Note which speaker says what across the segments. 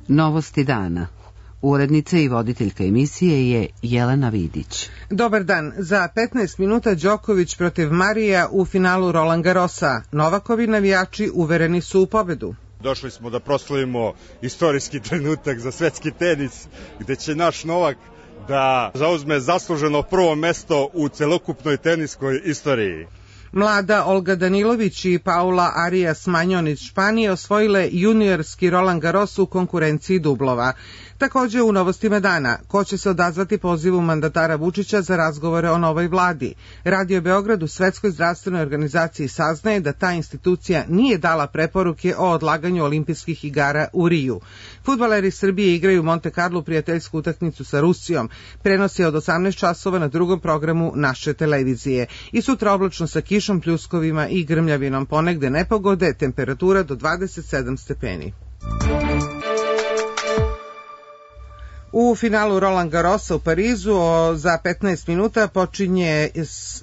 Speaker 1: Novosti dana. Urednica i voditeljka emisije je Jelena Vidić.
Speaker 2: Dobar dan. Za 15 minuta Đoković protiv Marija u finalu Roland Garrosa. Novakovi navijači uvereni su u pobedu.
Speaker 3: Došli smo da proslavimo istorijski trenutak za svetski tenis, gde će naš Novak da zauzme zasluženo prvo mesto u celokupnoj teniskoj istoriji.
Speaker 2: Mlada Olga Danilović i Paula Arias Magnon iz Španije osvojile juniorski Roland Garros u konkurenciji dublova. Takođe u novostima dana, ko će se odazvati pozivu mandatara Vučića za razgovore o novoj vladi. Radio Beograd u Svetskoj zdravstvenoj organizaciji saznaje da ta institucija nije dala preporuke o odlaganju olimpijskih igara u Riju. Fudbaleri Srbije igraju u Monte Carlo prijateljsku utakmicu sa Rusijom. Prenos je od 18 časova na drugom programu naše televizije. I sutra oblačno sa kišom, pljuskovima i grmljavinom, ponegde nepogode, temperatura do 27 stepeni. U finalu Roland Garrosa u Parizu za 15 minuta počinje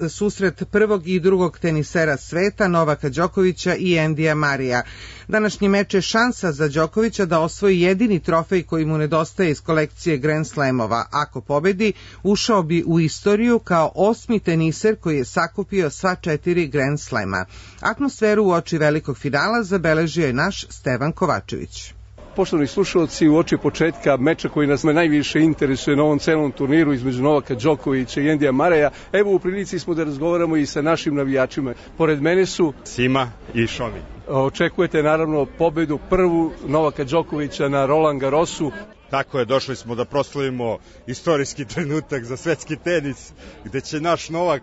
Speaker 2: susret prvog i drugog tenisera sveta Novaka Đokovića i Endija Marija. Današnji meč je šansa za Đokovića da osvoji jedini trofej koji mu nedostaje iz kolekcije Grand Slamova. Ako pobedi, ušao bi u istoriju kao 8. teniser koji je sakupio sva 4 Grand Slama. Atmosferu uoči velikog finala zabeležio je naš Stevan Kovačević.
Speaker 4: Poštovani slušalci, u oči početka meča koji nas najviše interesuje na ovom celom turniru između Novaka Đokovića i Endija Mareja, evo u prilici smo da razgovaramo i sa našim navijačima. Pored mene su
Speaker 3: Sima i Šomi.
Speaker 4: Očekujete naravno pobedu prvu Novaka Đokovića na Roland Garrosu.
Speaker 3: Tako je, došli smo da proslavimo istorijski trenutak za svetski tenis, gde će naš Novak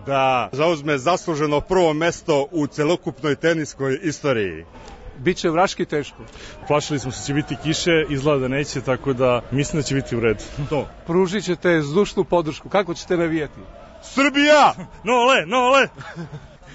Speaker 3: da zauzme zasluženo prvo mesto u celokupnoj teniskoj istoriji.
Speaker 4: Biće vraški teško.
Speaker 5: Plašili smo se će biti kiše, izgleda da neće, tako da mislim da će biti u redu.
Speaker 4: To. Pružit ćete zdušnu podršku. Kako ćete navijati?
Speaker 3: Srbija!
Speaker 5: Nole, nole!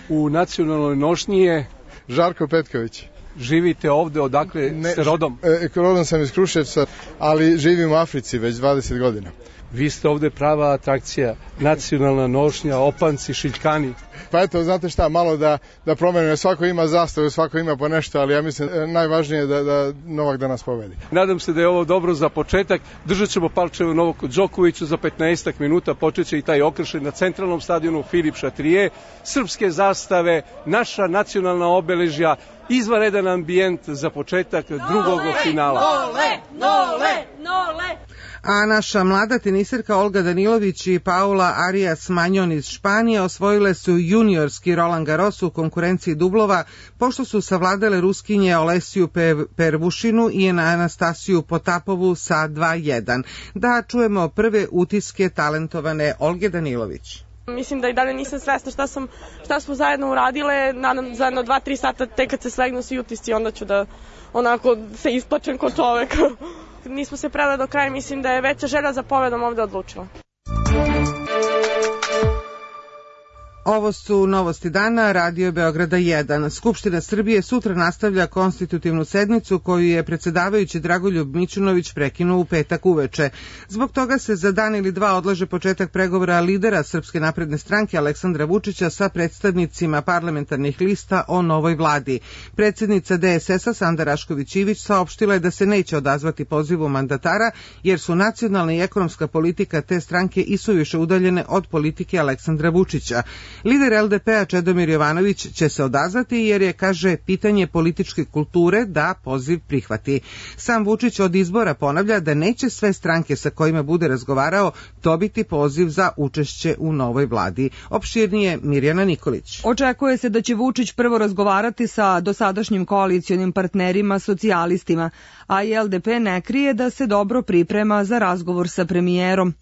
Speaker 4: U nacionalnoj nošnji je
Speaker 6: Žarko Petković.
Speaker 4: Živite ovde, odakle ste rodom?
Speaker 6: Rodom sam iz Kruševca, ali živim u Africi već 20 godina.
Speaker 4: Vi ste ovde prava atrakcija, nacionalna nošnja, opanci, šiljkani.
Speaker 6: Pa eto, znate šta, malo da promenimo, svako ima zastavu, svako ima po nešto, ali ja mislim najvažnije je da Novak danas pobedi.
Speaker 4: Nadam se da je ovo dobro za početak. Držat ćemo palčeve Novaku Đokoviću za 15 minuta, počeće i taj okršaj na centralnom stadionu Filip Šatrije, srpske zastave, naša nacionalna obeležja, izvanredan ambijent za početak drugog finala.
Speaker 7: Nole, nole, nole!
Speaker 2: A naša mlada teniserka Olga Danilović i Paula Arias Magnon iz Španije osvojile su juniorski Roland Garros u konkurenciji dublova, pošto su savladale Ruskinje Olesiju Pervušinu i Anastasiju Potapovu sa 2-1. Da čujemo prve utiske talentovane Olge Danilović.
Speaker 8: Mislim da i dalje nisam svesna šta smo zajedno uradile, nadam za jedno 2-3 sata tek kad se slegnu svi utisci, onda ću da onako se isplačem ko čovek. Nismo se predali do kraja, mislim da je veća želja za pobedom ovde odlučila.
Speaker 2: Ovo su novosti dana, Radio Beograda 1. Skupština Srbije sutra nastavlja konstitutivnu sednicu koju je predsedavajući Dragoljub Mićunović prekinuo u petak uveče. Zbog toga se za dan ili dva odlaže početak pregovora lidera Srpske napredne stranke Aleksandra Vučića sa predstavnicima parlamentarnih lista o novoj vladi. Predsednica DSS-a Sanda Rašković Ivić saopštila je da se neće odazvati pozivu mandatara jer su nacionalna i ekonomska politika te stranke isuviše udaljene od politike Aleksandra Vučića. Lider LDP-a Čedomir Jovanović će se odazvati jer je, kaže, pitanje političke kulture da poziv prihvati. Sam Vučić od izbora ponavlja da neće sve stranke sa kojima bude razgovarao dobiti poziv za učešće u novoj vladi. Opširnije Mirjana Nikolić.
Speaker 9: Očekuje se da će Vučić prvo razgovarati sa dosadašnjim koalicionim partnerima socijalistima, a i LDP ne krije da se dobro priprema za razgovor sa premijerom.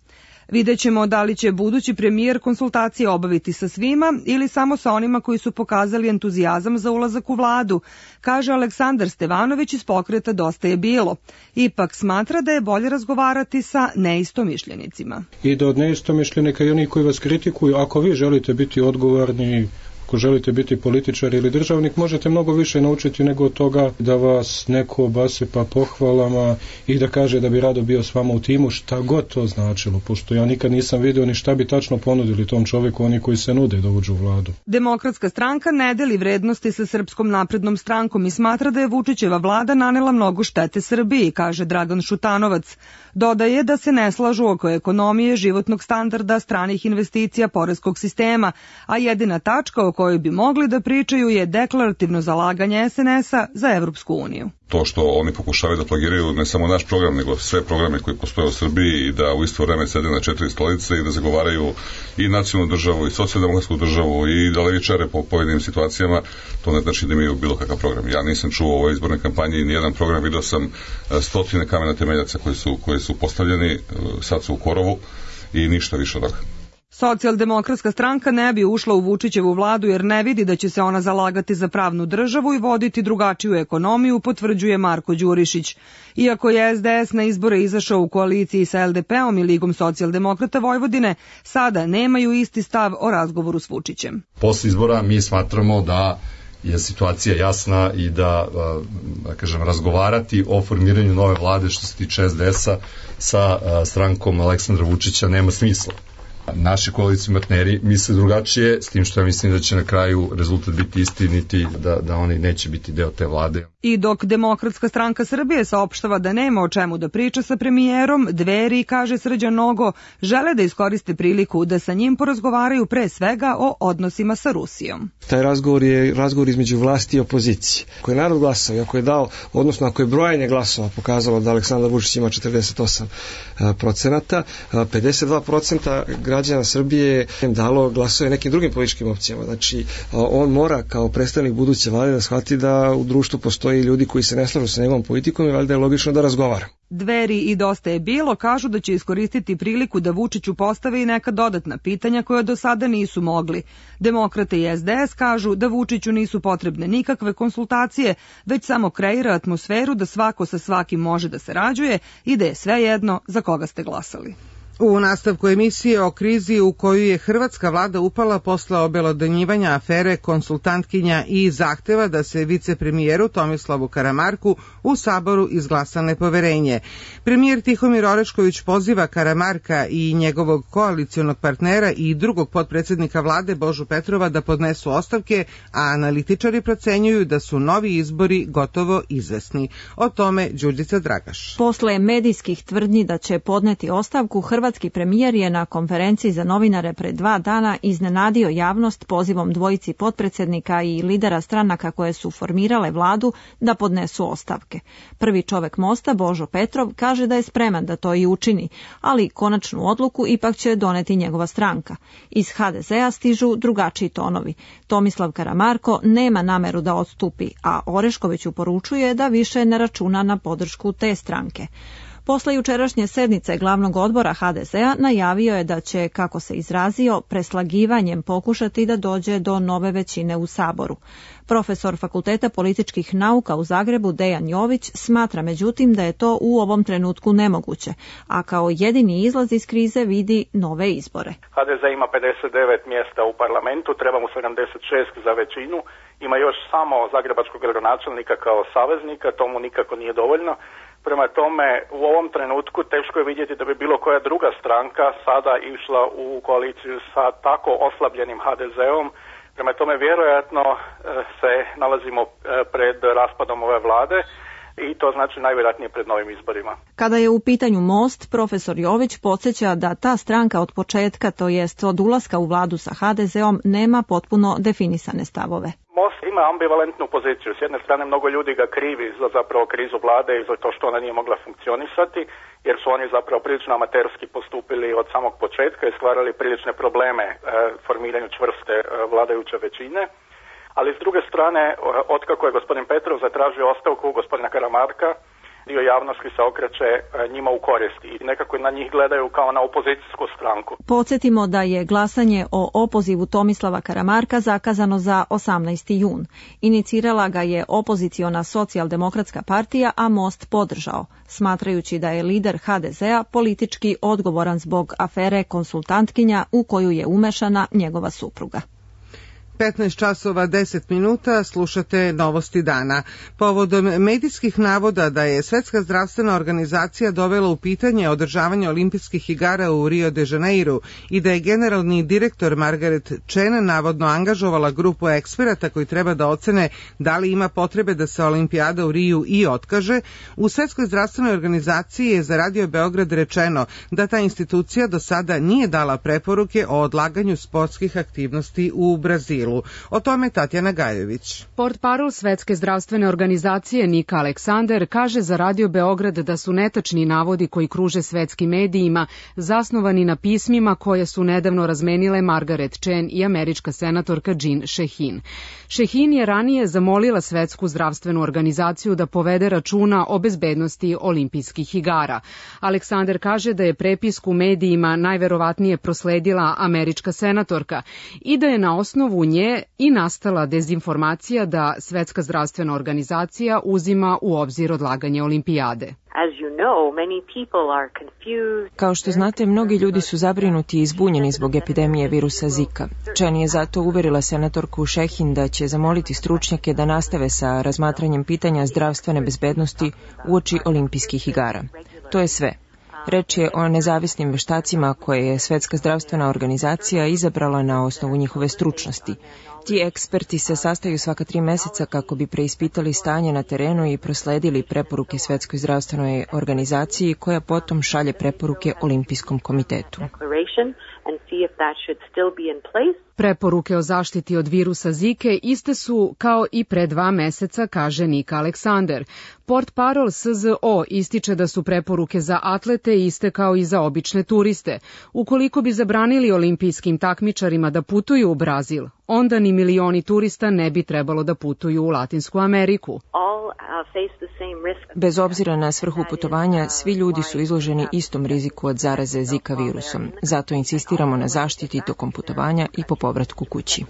Speaker 9: Videćemo da li će budući premijer konsultacije obaviti sa svima ili samo sa onima koji su pokazali entuzijazam za ulazak u vladu, kaže Aleksandar Stevanović iz pokreta Dosta je bilo. Ipak smatra da je bolje razgovarati sa neistomišljenicima.
Speaker 10: I da od neistomišljenika i oni koji vas kritikuju, ako vi želite biti odgovorni, Ako želite biti političar ili državnik, možete mnogo više naučiti nego od toga da vas neko obasipa pohvalama i da kaže da bi rado bio s vama u timu, šta god to značilo, pošto ja nikad nisam vidio ni šta bi tačno ponudili tom čoveku oni koji se nude da uđu u vladu.
Speaker 9: Demokratska stranka ne deli vrednosti sa Srpskom naprednom strankom i smatra da je Vučićeva vlada nanela mnogo štete Srbiji, kaže Dragan Šutanovac. Dodaje da se ne slažu oko ekonomije, životnog standarda, stranih investicija, poreskog sistema, a jedina tačka o kojoj bi mogli da pričaju je deklarativno zalaganje SNS-a za Evropsku uniju.
Speaker 11: To što oni pokušavaju da plagiraju ne samo naš program, nego sve programe koji postoje u Srbiji i da u isto vreme sede na 4 stolice i da zagovaraju i nacionalnu državu i socijaldemokratsku državu i da levičare po pojedinim situacijama, to ne znači da imaju bilo kakav program. Ja nisam čuo u ovoj izbornoj kampanji nijedan program, video sam stotine kamena temeljaca koji su postavljeni, sad su u korovu i ništa više od toga.
Speaker 9: Socijaldemokratska stranka ne bi ušla u Vučićevu vladu jer ne vidi da će se ona zalagati za pravnu državu i voditi drugačiju ekonomiju, potvrđuje Marko Đurišić. Iako je SDS na izbore izašao u koaliciji sa LDP-om i Ligom socijaldemokrata Vojvodine, sada nemaju isti stav o razgovoru s Vučićem.
Speaker 12: Posle izbora mi smatramo da je situacija jasna i da kažem, razgovarati o formiranju nove vlade što se tiče SDS-a sa strankom Aleksandra Vučića nema smisla. Naši koalicijni partneri misle drugačije, s tim što ja mislim da će na kraju rezultat biti istiniti, da oni neće biti deo te vlade.
Speaker 9: I dok Demokratska stranka Srbije saopštava da nema o čemu da priča sa premijerom, Dveri, kaže Srđan Nogo, žele da iskoriste priliku da sa njim porazgovaraju pre svega o odnosima sa Rusijom.
Speaker 13: Taj razgovor je razgovor između vlasti i opozicije. Ako je narod glasao i ako je dao, odnosno ako je brojanje glasova pokazalo da Aleksandar Vučić ima 48%, 52% građana Srbije dalo glasove nekim drugim političkim opcijama. Znači, on mora kao predstavnik buduće vlade da shvati da u društvu postoji ljudi koji se ne slažu sa njegovom politikom i valjda je logično da razgovara.
Speaker 9: Dveri i Dosta je bilo kažu da će iskoristiti priliku da Vučiću postave i neka dodatna pitanja koja do sada nisu mogli. Demokrate i SDS kažu da Vučiću nisu potrebne nikakve konsultacije, već samo kreira atmosferu da svako sa svakim može da sarađuje i da je svejedno za koga ste glasali.
Speaker 2: U nastavku emisije o krizi u koju je hrvatska vlada upala posle obelodanjivanja afere konsultantkinja i zahteva da se vicepremijeru Tomislavu Karamarku u Saboru izglasa nepoverenje. Premijer Tihomir Orešković poziva Karamarka i njegovog koalicionog partnera i drugog potpredsednika vlade Božu Petrova da podnesu ostavke, a analitičari procenjuju da su novi izbori gotovo izvesni. O tome Đurđica Dragaš.
Speaker 14: Posle medijskih tvrdnji da će podneti ostavku, hrvatski premijer je na konferenciji za novinare pred 2 dana iznenadio javnost pozivom dvojici potpredsednika i lidera stranaka koje su formirale vladu da podnesu ostavke. Prvi čovek Mosta, Božo Petrov, kaže da je spreman da to i učini, ali konačnu odluku ipak će doneti njegova stranka. Iz HDZ-a stižu drugačiji tonovi. Tomislav Karamarko nema nameru da odstupi, a Oreškoviću poručuje da više ne računa na podršku te stranke. Posle jučerašnje sednice glavnog odbora HDZ-a najavio je da će, kako se izrazio, preslagivanjem pokušati da dođe do nove većine u Saboru. Profesor Fakulteta političkih nauka u Zagrebu Dejan Jović smatra međutim da je to u ovom trenutku nemoguće, a kao jedini izlaz iz krize vidi nove izbore.
Speaker 15: HDZ ima 59 mjesta u parlamentu, treba mu 76 za većinu, ima još samo zagrebačkog gradonačelnika kao saveznika, to mu nikako nije dovoljno. Prema tome, u ovom trenutku teško je vidjeti da bi bilo koja druga stranka sada išla u koaliciju sa tako oslabljenim HDZ-om. Prema tome, vjerojatno se nalazimo pred raspadom ove vlade i to znači najvjerojatnije pred novim izborima.
Speaker 14: Kada je u pitanju Most, profesor Jović podsjeća da ta stranka od početka, to jest od ulaska u vladu sa HDZ-om, nema potpuno definisane stavove.
Speaker 15: Most ima ambivalentnu poziciju. S jedne strane mnogo ljudi ga krivi za zapravo krizu vlade i za to što ona nije mogla funkcionisati, jer su oni zapravo prilično amaterski postupili od samog početka i stvarali prilične probleme formiranju čvrste vladajuće većine. Ali s druge strane, otkako je gospodin Petrov zatražio ostavku gospodina Karamarka, dio javnosti se okreće njima u korist i nekako na njih gledaju kao na opozicijsku stranku.
Speaker 14: Podsjetimo da je glasanje o opozivu Tomislava Karamarka zakazano za 18. jun. Inicirala ga je opoziciona socijaldemokratska partija, a Most podržao, smatrajući da je lider HDZ-a politički odgovoran zbog afere konsultantkinja u koju je umešana njegova supruga.
Speaker 2: 15 časova 10 minuta slušate Novosti dana. Povodom medijskih navoda da je Svetska zdravstvena organizacija dovela u pitanje održavanje olimpijskih igara u Rio de Janeiru i da je generalni direktor Margaret Chan navodno angažovala grupu eksperata koji treba da ocene da li ima potrebe da se olimpijada u Riju i otkaže, u Svetskoj zdravstvenoj organizaciji je za Radio Beograd rečeno da ta institucija do sada nije dala preporuke o odlaganju sportskih aktivnosti u Brazilu. O tome Tatjana Gajević.
Speaker 16: Portparol Svetske zdravstvene organizacije Nika Aleksander kaže za Radio Beograd da su netačni navodi koji kruže svetskim medijima zasnovani na pismima koje su nedavno razmenile Margaret Chan i američka senatorka Jean Shaheen. Shaheen je ranije zamolila Svetsku zdravstvenu organizaciju da povede računa o bezbednosti olimpijskih igara. Aleksander kaže da je prepisku medijima najverovatnije prosledila američka senatorka i da je na osnovu nje i nastala dezinformacija da Svetska zdravstvena organizacija uzima u obzir odlaganje olimpijade.
Speaker 17: Kao što znate, mnogi ljudi su zabrinuti i izbunjeni zbog epidemije virusa Zika. Chan je zato uverila senatorku Shaheen da će zamoliti stručnjake da nastave sa razmatranjem pitanja zdravstvene bezbednosti uoči olimpijskih igara. To je sve. Reč je o nezavisnim veštacima koje je Svetska zdravstvena organizacija izabrala na osnovu njihove stručnosti. Ti eksperti se sastaju svaka 3 meseca kako bi preispitali stanje na terenu i prosledili preporuke Svetskoj zdravstvenoj organizaciji koja potom šalje preporuke Olimpijskom komitetu.
Speaker 16: Preporuke o zaštiti od virusa Zike iste su kao i pre 2 meseca, kaže Nika Aleksander. Portparol SZO ističe da su preporuke za atlete iste kao i za obične turiste. Ukoliko bi zabranili olimpijskim takmičarima da putuju u Brazil, onda ni milioni turista ne bi trebalo da putuju u Latinsku Ameriku.
Speaker 17: Bez obzira na svrhu putovanja, svi ljudi su izloženi istom riziku od zaraze Zika virusom. Zato insistiramo na zaštiti tokom putovanja i po povratku kući.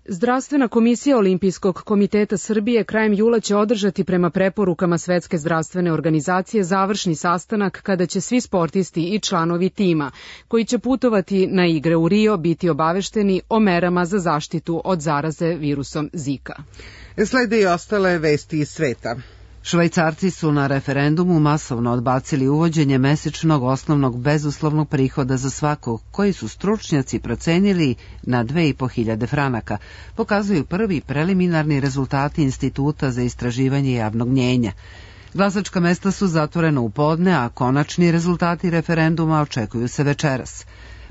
Speaker 16: Zdravstvena komisija Olimpijskog komiteta Srbije krajem jula će održati prema preporukama Svetske zdravstvene organizacije završni sastanak kada će svi sportisti i članovi tima koji će putovati na igre u Rio biti obavešteni o merama za zaštitu od zaraze virusom Zika.
Speaker 2: Slede i ostale vesti iz sveta.
Speaker 1: Švajcarci su na referendumu masovno odbacili uvođenje mesečnog osnovnog bezuslovnog prihoda za svakog, koji su stručnjaci procenili na 2.500 franaka, pokazuju prvi preliminarni rezultati Instituta za istraživanje javnog mnjenja. Glasačka mesta su zatvorena u podne, a konačni rezultati referenduma očekuju se večeras.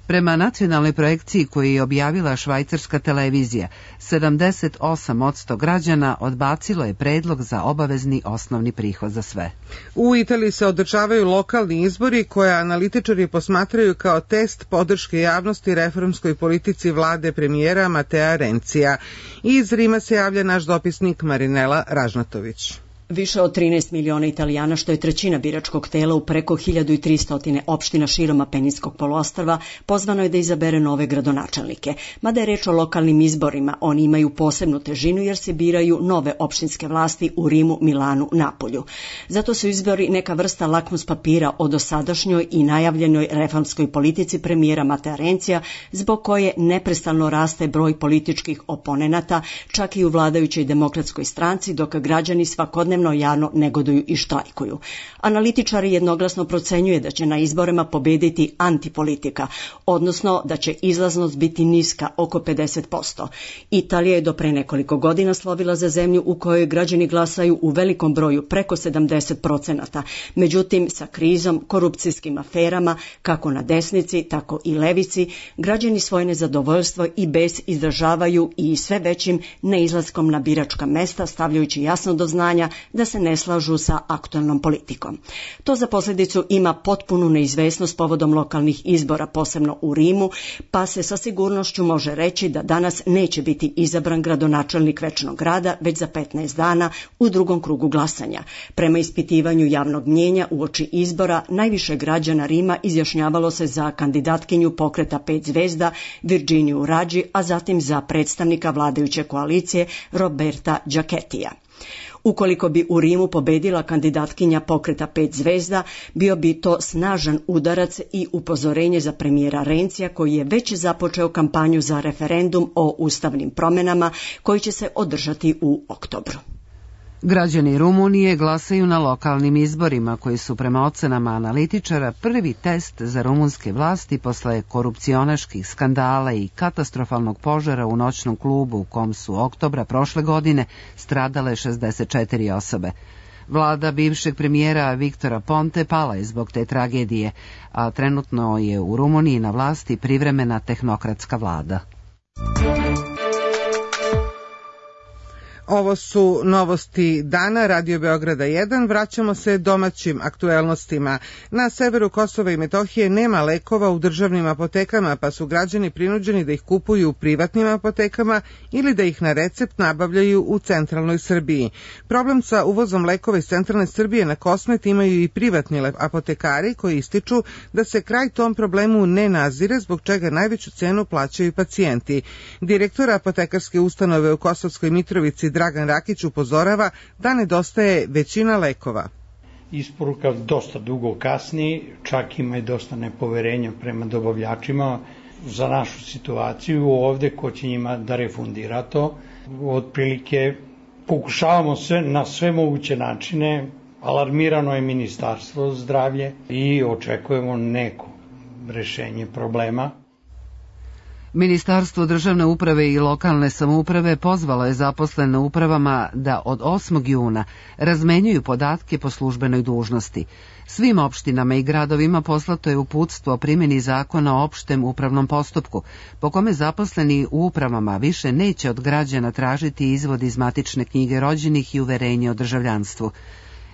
Speaker 1: Prema nacionalnoj projekciji koju je objavila švajcarska televizija, 78% građana odbacilo je predlog za obavezni osnovni prihod za sve.
Speaker 2: U Italiji se održavaju lokalni izbori koje analitičari posmatraju kao test podrške javnosti reformskoj politici vlade premijera Matea Renzija. Iz Rima se javlja naš dopisnik Marinela Ražnatović.
Speaker 18: Više od 13 miliona Italijana, što je trećina biračkog tela u preko 1300 opština širom Apeninskog poluostrva, pozvano je da izabere nove gradonačelnike. Mada je reč o lokalnim izborima, oni imaju posebnu težinu jer se biraju nove opštinske vlasti u Rimu, Milanu, Napolju. Zato su izbori neka vrsta lakmus papira o dosadašnjoj i najavljenoj reformskoj politici premijera Matea Renzija, zbog koje neprestano raste broj političkih oponenata, čak i u vladajućoj demokratskoj stranci, dok građani svakodnevno javno negoduju i štrajkuju. Analitičari jednoglasno procenjuje da će na izborima pobediti antipolitika, odnosno da će izlaznost biti niska, oko 50%. Italija je do pre nekoliko godina slovila za zemlju u kojoj građani glasaju u velikom broju, preko 70%. Međutim, sa krizom, korupcijskim aferama, kako na desnici, tako i levici, građani svoje nezadovoljstvo i bes izražavaju i sve većim neizlaskom na biračka mesta, stavljajući jasno do znanja da se ne slažu sa aktualnom politikom. To za posljedicu ima potpunu neizvesnost povodom lokalnih izbora, posebno u Rimu, pa se sa sigurnošću može reći da danas neće biti izabran gradonačelnik Večnog grada već za 15 dana u drugom krugu glasanja. Prema ispitivanju javnog mnjenja uoči izbora, najviše građana Rima izjašnjavalo se za kandidatkinju pokreta 5 zvezda Virginiju Raggi, a zatim za predstavnika vladajuće koalicije Roberta Giachettija. Ukoliko bi u Rimu pobedila kandidatkinja Pokreta 5 zvezda, bio bi to snažan udarac i upozorenje za premijera Rencija, koji je već započeo kampanju za referendum o ustavnim promjenama koji će se održati u oktobru.
Speaker 1: Građani Rumunije glasaju na lokalnim izborima koji su prema ocenama analitičara prvi test za rumunske vlasti posle korupcionaških skandala i katastrofalnog požara u noćnom klubu u kom su oktobra prošle godine stradale 64 osobe. Vlada bivšeg premijera Viktora Ponte pala je zbog te tragedije, a trenutno je u Rumuniji na vlasti privremena tehnokratska vlada.
Speaker 2: Ovo su novosti dana Radio Beograda 1. Vraćamo se domaćim aktuelnostima. Na severu Kosova i Metohije nema lekova u državnim apotekama, pa su građani prinuđeni da ih kupuju u privatnim apotekama ili da ih na recept nabavljaju u centralnoj Srbiji. Problem sa uvozom lekova iz centralne Srbije na Kosmet imaju i privatni apotekari koji ističu da se kraj tom problemu ne nazire, zbog čega najveću cenu plaćaju pacijenti. Direktor apotekarske ustanove u Kosovskoj Mitrovici Dragan Rakić upozorava da nedostaje većina lekova.
Speaker 19: Isporuka dosta dugo kasni, čak ima i dosta nepoverenja prema dobavljačima za našu situaciju ovde, ko će njima da refundira to. Otprilike pokušavamo sve na sve moguće načine, alarmirano je Ministarstvo zdravlje i očekujemo neko rešenje problema.
Speaker 1: Ministarstvo državne uprave i lokalne samouprave pozvalo je zaposlene u upravama da od 8. juna razmenjuju podatke po službenoj dužnosti. Svim opštinama i gradovima poslato je uputstvo o primjeni zakona o opštem upravnom postupku, po kome zaposleni u upravama više neće od građana tražiti izvod iz matične knjige rođenih i uverenje o državljanstvu.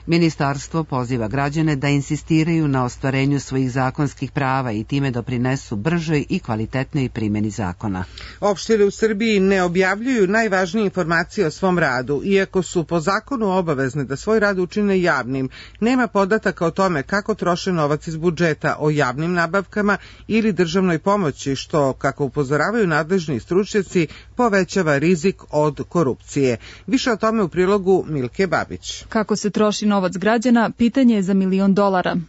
Speaker 1: Ministarstvo poziva građane da insistiraju na ostvarenju svojih zakonskih prava i time doprinesu bržoj i kvalitetnoj primjeni zakona.
Speaker 2: Opštine u Srbiji ne objavljuju najvažnije informacije o svom radu, iako su po zakonu obavezne da svoj rad učine javnim. Nema podataka o tome kako troše novac iz budžeta, o javnim nabavkama ili državnoj pomoći, što, kako upozoravaju nadležni stručnjaci, povećava rizik od korupcije. Više o tome u prilogu Milke Babić.
Speaker 20: Kako se troši novac građana, pitanje je za $1 milion.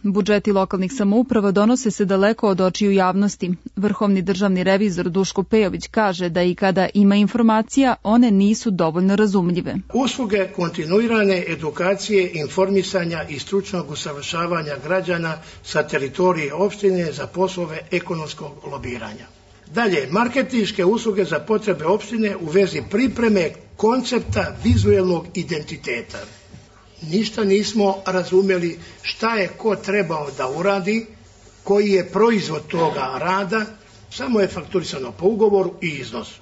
Speaker 20: Budžeti lokalnih samouprava donose se daleko od očiju javnosti. Vrhovni državni revizor Duško Pejović kaže da i kada ima informacija, one nisu dovoljno razumljive.
Speaker 21: Usluge kontinuirane edukacije, informisanja i stručnog usavršavanja građana sa teritorije opštine za poslove ekonomskog lobiranja. Dalje, marketinške usluge za potrebe opštine u vezi pripreme koncepta vizuelnog identiteta. Ništa nismo razumeli šta je ko trebao da uradi, koji je proizvod toga rada, samo je fakturisano po ugovoru i iznosu.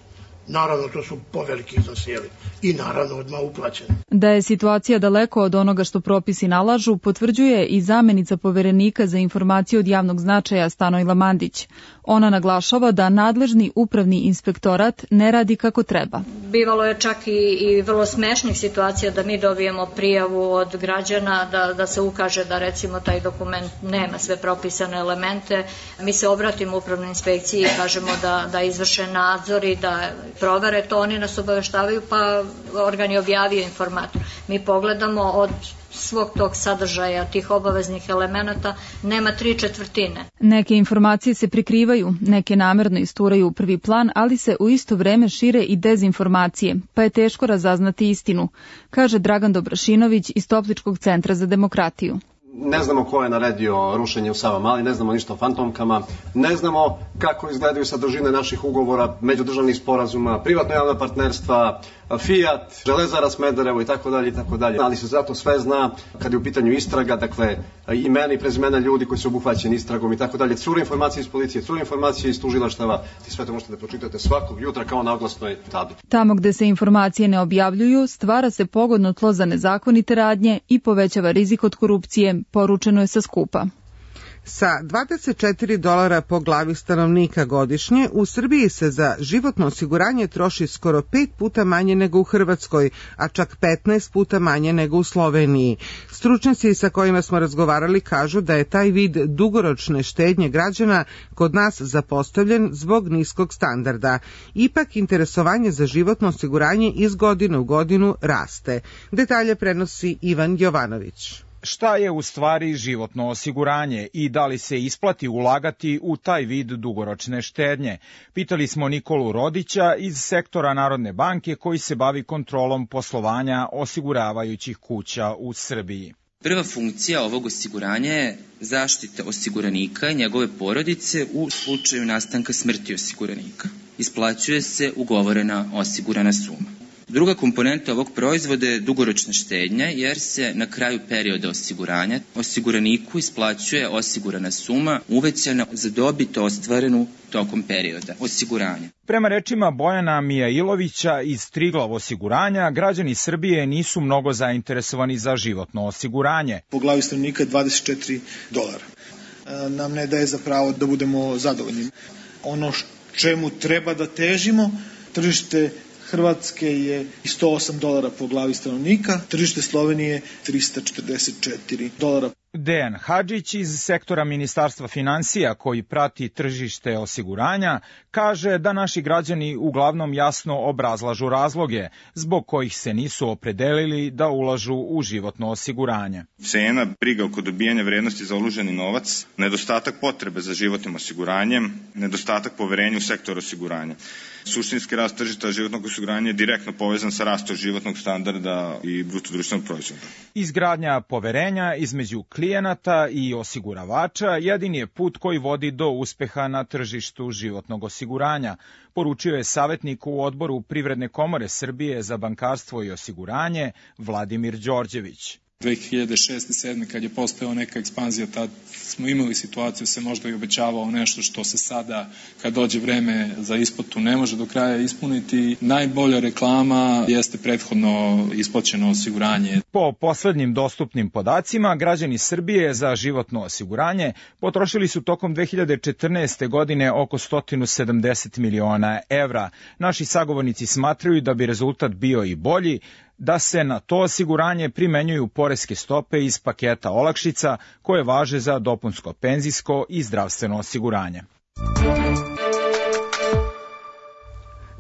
Speaker 21: Naravno, to su poveliki iznosi i naravno odmah uplaćeni.
Speaker 20: Da je situacija daleko od onoga što propisi nalažu, potvrđuje i zamenica poverenika za informacije od javnog značaja Stanojla Mandić. Ona naglašava da nadležni upravni inspektorat ne radi kako treba.
Speaker 22: Bivalo je čak i vrlo smešnih situacija da mi dobijemo prijavu od građana da se ukaže da recimo taj dokument nema sve propisane elemente. Mi se obratimo upravnoj inspekciji i kažemo da izvrše nadzor i da provere to, oni nas obaveštavaju pa organ je objavio informator. Mi pogledamo od svog tog sadržaja, tih obaveznih elemenata, nema 3/4.
Speaker 20: Neke informacije se prikrivaju, neke namerno isturaju u prvi plan, ali se u isto vreme šire i dezinformacije, pa je teško razaznati istinu, kaže Dragan Dobrašinović iz Topličkog centra za demokratiju.
Speaker 23: Ne znamo ko je naredio rušenje u Savamali, ne znamo ništa o fantomkama, ne znamo kako izgledaju sadržine naših ugovora, međudržavnih sporazuma, privatno-javna partnerstva, Fiat, Železara Smederevo i tako dalje, ali se zato sve zna kad je u pitanju istraga, dakle imena i prezimena ljudi koji su obuhvaćeni istragom i tako dalje, cure informacije iz policije, cure informacije iz tužilaštava, i sve to možete da pročitate svakog jutra kao na oglasnoj tabli.
Speaker 20: Tamo gde se informacije ne objavljuju, stvara se pogodno tlo za nezakonite radnje i povećava rizik od korupcije, poručeno je sa skupa.
Speaker 2: Sa $24 po glavi stanovnika godišnje, u Srbiji se za životno osiguranje troši skoro 5 puta manje nego u Hrvatskoj, a čak 15 puta manje nego u Sloveniji. Stručnjaci sa kojima smo razgovarali kažu da je taj vid dugoročne štednje građana kod nas zapostavljen zbog niskog standarda. Ipak, interesovanje za životno osiguranje iz godine u godinu raste. Detalje prenosi Ivan Jovanović.
Speaker 3: Šta je u stvari životno osiguranje i da li se isplati ulagati u taj vid dugoročne štednje? Pitali smo Nikolu Rodića iz sektora Narodne banke koji se bavi kontrolom poslovanja osiguravajućih kuća u Srbiji.
Speaker 5: Prva funkcija ovog osiguranja je zaštita osiguranika i njegove porodice u slučaju nastanka smrti osiguranika. Isplaćuje se ugovorena osigurana suma. Druga komponenta ovog proizvoda je dugoročna štednja, jer se na kraju perioda osiguranja osiguraniku isplaćuje osigurana suma uvećana za dobit ostvarenu tokom perioda osiguranja.
Speaker 3: Prema rečima Bojana Mijailovića iz Triglav osiguranja, građani Srbije nisu mnogo zainteresovani za životno osiguranje.
Speaker 6: Po glavi stanovnika $24. Nam ne daje za pravo da budemo zadovoljni. Ono čemu treba da težimo, tržište Hrvatske je $108 po glavi stanovnika, tržište Slovenije $344.
Speaker 3: Dejan Hadžić iz sektora Ministarstva finansija koji prati tržište osiguranja kaže da naši građani uglavnom jasno obrazlažu razloge zbog kojih se nisu opredelili da ulažu u životno osiguranje.
Speaker 24: Cena, briga oko dobijanja vrednosti za uloženi novac, nedostatak potrebe za životnim osiguranjem, nedostatak poverenja u sektor osiguranja. Suštinski rast tržišta životnog osiguranja je direktno povezan sa rastom životnog standarda i bruto društvenog proizvoda.
Speaker 3: Izgradnja poverenja između klijenata i osiguravača jedini je put koji vodi do uspeha na tržištu životnog osiguranja, poručio je savjetnik u odboru Privredne komore Srbije za bankarstvo i osiguranje Vladimir Đorđević.
Speaker 25: 2006-2007 kad je postojala neka ekspanzija, tad smo imali situaciju, se možda i obećavao nešto što se sada, kad dođe vreme za isplatu, ne može do kraja ispuniti. Najbolja reklama jeste prethodno isplaćeno osiguranje.
Speaker 3: Po poslednjim dostupnim podacima, građani Srbije za životno osiguranje potrošili su tokom 2014. godine oko 170 miliona evra. Naši sagovornici smatraju da bi rezultat bio i bolji, da se na to osiguranje primenjuju poreske stope iz paketa olakšica koje važe za dopunsko penzijsko i zdravstveno osiguranje.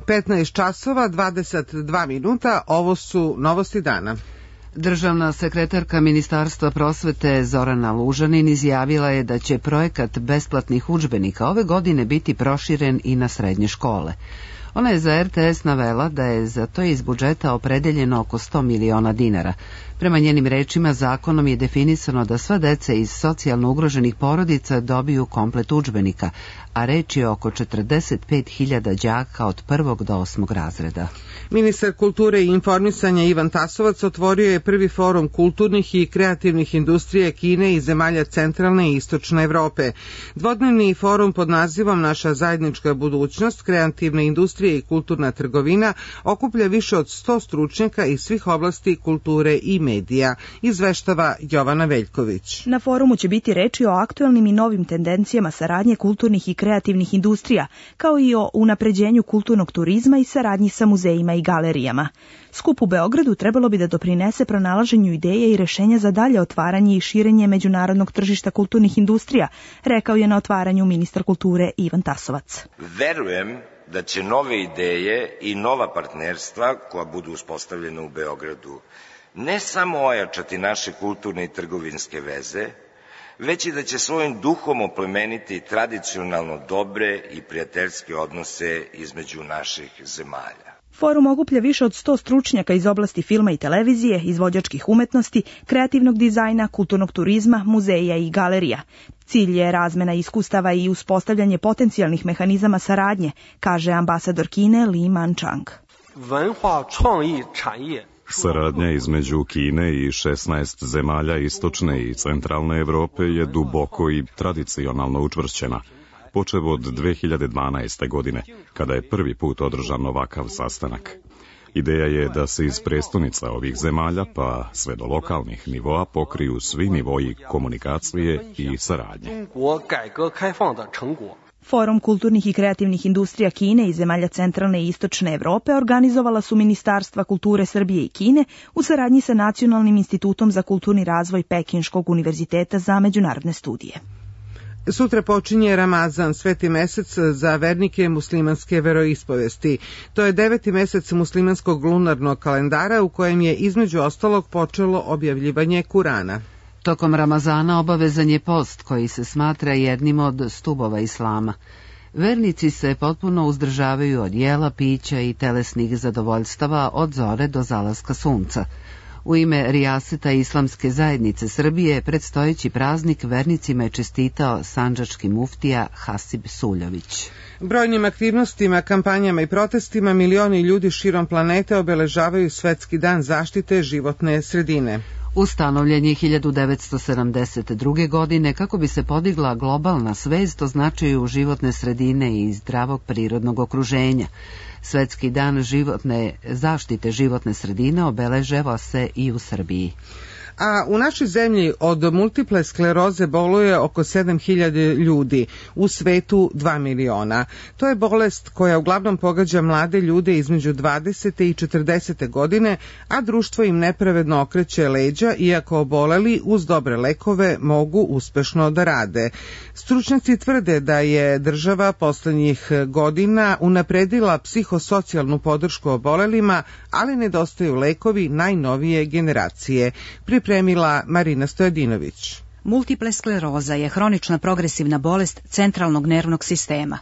Speaker 2: 15 časova, 22 minuta, ovo su novosti dana.
Speaker 1: Državna sekretarka Ministarstva prosvete Zorana Lužanin izjavila je da će projekat besplatnih udžbenika ove godine biti proširen i na srednje škole. Ona je za RTS navela da je za to iz budžeta opredeljeno oko 100 miliona dinara. Prema njenim rečima, zakonom je definisano da sva deca iz socijalno ugroženih porodica dobiju komplet udžbenika, a reč je oko 45.000 đaka od 1. do 8. razreda.
Speaker 2: Ministar kulture i informisanja Ivan Tasovac otvorio je prvi forum kulturnih i kreativnih industrija Kine i zemalja centralne i istočne Evrope. Dvodnevni forum pod nazivom Naša zajednička budućnost, kreativne industrije i kulturna trgovina okuplja više od 100 stručnjaka iz svih oblasti kulture i medija, izveštava Jovana Veljković.
Speaker 26: Na forumu će biti reči o aktuelnim i novim tendencijama saradnje kulturnih i kreativnih industrija, kao i o unapređenju kulturnog turizma i saradnji sa muzejima i galerijama. Skup u Beogradu trebalo bi da doprinese pronalaženju ideje i rešenja za dalje otvaranje i širenje međunarodnog tržišta kulturnih industrija, rekao je na otvaranju ministar kulture Ivan Tasovac.
Speaker 27: Verujem da će nove ideje i nova partnerstva koja budu uspostavljena u Beogradu ne samo ojačati naše kulturne i trgovinske veze, već i da će svojim duhom oplemeniti tradicionalno dobre i prijateljske odnose između naših zemalja.
Speaker 26: Forum okuplja više od 100 stručnjaka iz oblasti filma i televizije, izvođačkih umetnosti, kreativnog dizajna, kulturnog turizma, muzeja i galerija. Cilj je razmena iskustava i uspostavljanje potencijalnih mehanizama saradnje, kaže ambasador Kine Li Manchang.
Speaker 28: Saradnja između Kine i 16 zemalja istočne i centralne Evrope je duboko i tradicionalno učvršćena, počev od 2012. godine, kada je prvi put održan ovakav sastanak. Ideja je da se iz prestonica ovih zemalja pa sve do lokalnih nivoa pokriju svi nivoji komunikacije i saradnje.
Speaker 26: Forum kulturnih i kreativnih industrija Kine i zemalja centralne i istočne Evrope organizovala su Ministarstva kulture Srbije i Kine u saradnji sa Nacionalnim institutom za kulturni razvoj Pekinškog univerziteta za međunarodne studije.
Speaker 2: Sutra počinje Ramazan, sveti mesec za vernike muslimanske veroispovesti. To je 9. mesec muslimanskog lunarnog kalendara u kojem je između ostalog počelo objavljivanje Kurana.
Speaker 1: Tokom Ramazana obavezan je post koji se smatra jednim od stubova islama. Vernici se potpuno uzdržavaju od jela, pića i telesnih zadovoljstava od zore do zalaska sunca. U ime Rijaseta Islamske zajednice Srbije predstojeći praznik vernicima je čestitao sandžački muftija Hasib Suljović.
Speaker 2: Brojnim aktivnostima, kampanjama i protestima milioni ljudi širom planete obeležavaju Svetski dan zaštite životne sredine.
Speaker 1: Ustanovljen je 1972. godine kako bi se podigla globalna svest o značaju životne sredine i zdravog prirodnog okruženja. Svetski dan zaštite životne sredine obeležava se i u Srbiji.
Speaker 2: A u našoj zemlji od multiple skleroze boluje oko 7.000 ljudi, u svetu 2 miliona. To je bolest koja uglavnom pogađa mlade ljude između 20. i 40. godine, a društvo im nepravedno okreće leđa, iako oboleli uz dobre lekove mogu uspešno da rade. Stručnjaci tvrde da je država poslednjih godina unapredila psihosocijalnu podršku obolelima, ali nedostaju lekovi najnovije generacije. Pripremila Marina Stojadinović.
Speaker 4: Multiple skleroza je hronična progresivna bolest centralnog nervnog sistema.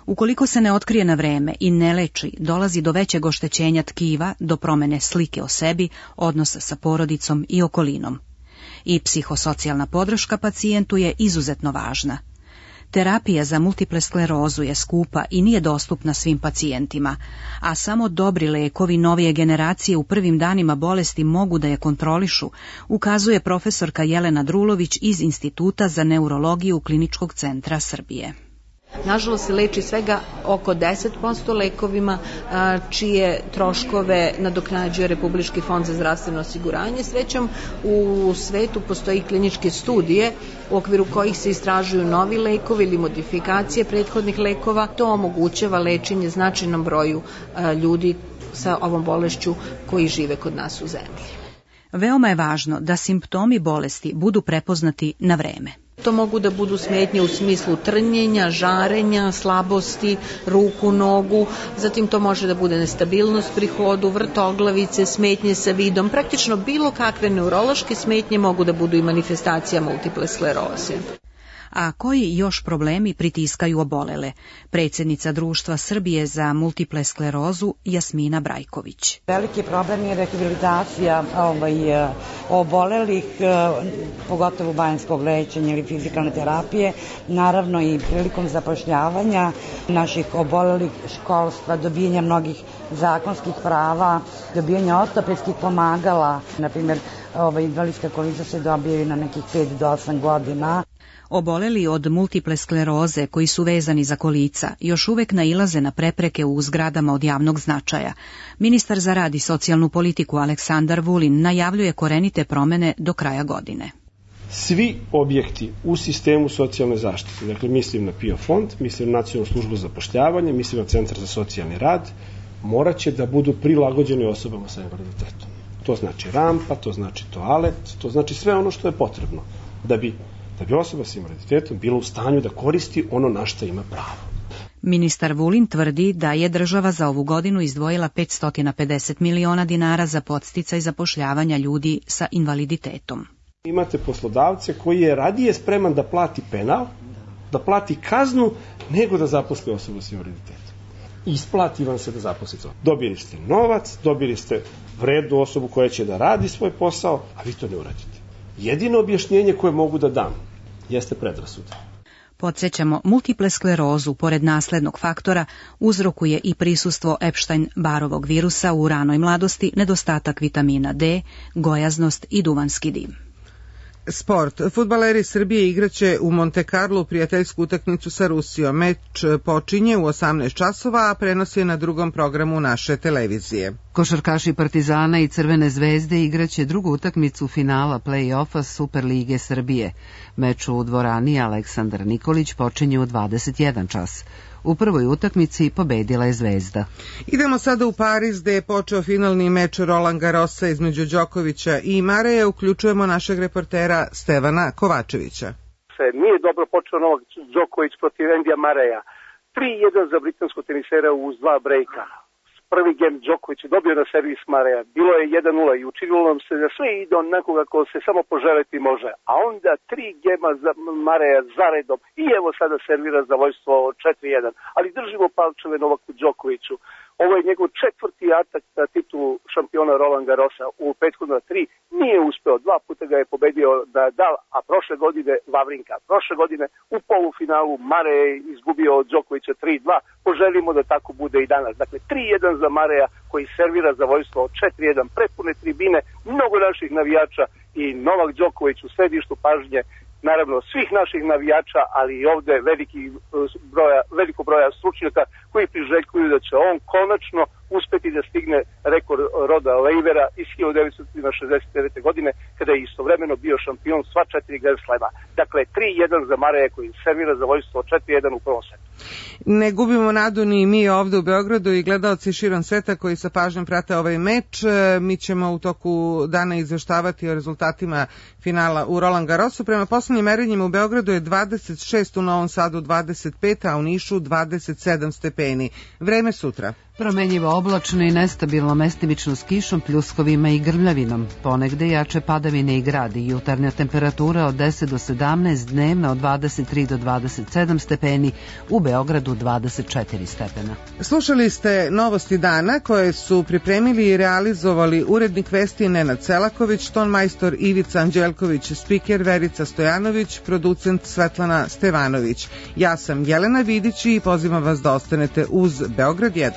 Speaker 4: Ukoliko se ne otkrije na vreme i ne leči, dolazi do većeg oštećenja tkiva, do promene slike o sebi, odnosa sa porodicom i okolinom. I psihosocijalna podrška pacijentu je izuzetno važna. Terapija za multiple sklerozu je skupa i nije dostupna svim pacijentima, a samo dobri lekovi novije generacije u prvim danima bolesti mogu da je kontrolišu, ukazuje profesorka Jelena Drulović iz Instituta za neurologiju Kliničkog centra Srbije.
Speaker 7: Nažalost se leči svega oko 10% lekovima čije troškove nadoknađuje Republički fond za zdravstveno osiguranje. Srećom u svetu postoji kliničke studije u okviru kojih se istražuju novi lekovi ili modifikacije prethodnih lekova. To omogućava lečenje značajnom broju ljudi sa ovom bolešću koji žive kod nas u zemlji.
Speaker 4: Veoma je važno da simptomi bolesti budu prepoznati na vreme.
Speaker 7: To mogu da budu smetnje u smislu trnjenja, žarenja, slabosti, ruku, nogu, zatim to može da bude nestabilnost pri hodu, vrtoglavice, smetnje sa vidom, praktično bilo kakve neurološke smetnje mogu da budu i manifestacija multiple skleroze.
Speaker 4: A koji još problemi pritiskaju obolele? Predsjednica Društva Srbije za multiple sklerozu Jasmina Brajković.
Speaker 8: Veliki problem je rehabilitacija obolelih, pogotovo banjskog lečenja ili fizikalne terapije, naravno i prilikom zapošljavanja naših obolelih, školstva, dobijanja mnogih zakonskih prava, dobijanja ortopedskih pomagala, na primjer invalidska kolica se dobije na nekih 5 do 8 godina.
Speaker 4: Oboleli od multiple skleroze koji su vezani za kolica još uvek nailaze na prepreke u zgradama od javnog značaja. Ministar za rad i socijalnu politiku Aleksandar Vulin najavljuje korenite promene do kraja godine.
Speaker 9: Svi objekti u sistemu socijalne zaštite, dakle mislim na PIO fond, mislim na Nacionalnu službu za zapošljavanje, mislim na Centar za socijalni rad, morat će da budu prilagođeni osobama sa invaliditetom. To znači rampa, to znači toalet, to znači sve ono što je potrebno da bi osoba s invaliditetom bila u stanju da koristi ono na što ima pravo.
Speaker 4: Ministar Vulin tvrdi da je država za ovu godinu izdvojila 550 miliona dinara za podsticaj zapošljavanja ljudi sa invaliditetom.
Speaker 9: Imate poslodavce koji je radije spreman da plati penal, da plati kaznu, nego da zaposli osobu s invaliditetom. Isplati vam se da zaposlite. Dobili ste novac, dobili ste vrednu osobu koja će da radi svoj posao, a vi to ne uradite. Jedino objašnjenje koje mogu da dam jeste predrasuda.
Speaker 4: Podsjećamo, multiple sklerozu, pored naslednog faktora, uzrokuje i prisustvo Epstein-Barovog virusa u ranoj mladosti, nedostatak vitamina D, gojaznost i duvanski dim.
Speaker 2: Sport. Fudbaleri Srbije igraće u Monte Carlo prijateljsku utakmicu sa Rusijom. Meč počinje u 18 časova, a prenos je na drugom programu naše televizije. Košarkaši Partizana i Crvene zvezde igraće drugu utakmicu finala play-offa Superlige Srbije. Meč u dvorani Aleksandar Nikolić počinje u 21 čas. U prvoj utakmici pobedila je Zvezda. Idemo sada u Pariz, gde je počeo finalni meč Roland Garrosa između Đokovića i Mareja. Uključujemo našeg reportera Stevana Kovačevića.
Speaker 10: Nije dobro počeo Novak Đoković protiv Endija Mareja. 3-1 za britanskog tenisera uz 2 brejka. Prvi gem Đoković je dobio na servis Mareja. Bilo je 1-0 i učinilo nam se da sve ide onako kako se samo poželeti može. A onda 3 gema za Mareja zaredom i evo sada servira za vojstvo 4-1. Ali držimo palčeve Novaku Đokoviću. Ovo je njegov 4. atak na titulu šampiona Roland Garrosa. U prethodna 3 nije uspeo. 2 puta ga je pobedio Nadal, a prošle godine Vavrinka. Prošle godine u polufinalu Mareja je izgubio od Đokovića 3-2. Poželimo da tako bude i danas. Dakle, 3-1 za Mareja koji servira za vojstvo 4-1. Prepune tribine, mnogo naših navijača i Novak Đoković u središtu pažnje, naravno svih naših navijača, ali i ovde veliko broja stručnjaka koji priželjkuju da će on konačno uspeti da stigne rekord Roda Leivera iz 1969. godine, kada je istovremeno bio šampion sva 4 Grand Slema. Dakle, 3-1 za Mareja koji servira za vojstvo 4-1 u prvom setu.
Speaker 2: Ne gubimo nadu ni mi ovde u Beogradu i gledaoci širom sveta koji sa pažnjom prate ovaj meč. Mi ćemo u toku dana izveštavati o rezultatima finala u Roland Garrosu. Prema poslednjim merenjima u Beogradu je 26, u Novom Sadu 25, a u Nišu 27 stepeni. Vreme sutra. Promenjivo oblačno i nestabilno, mestimično s kišom, pljuskovima i grmljavinom. Ponegde jače padavine i gradi. Jutarnja temperatura od 10 do 17, dnevna od 23 do 27 stepeni, u Beogradu 24 stepena. Slušali ste Novosti dana koje su pripremili i realizovali urednik vesti Nenad Selaković, tonmajstor Ivica Anđelković, spiker Verica Stojanović, producent Svetlana Stevanović. Ja sam Jelena Vidić i pozivam vas da ostanete uz Beograd 1.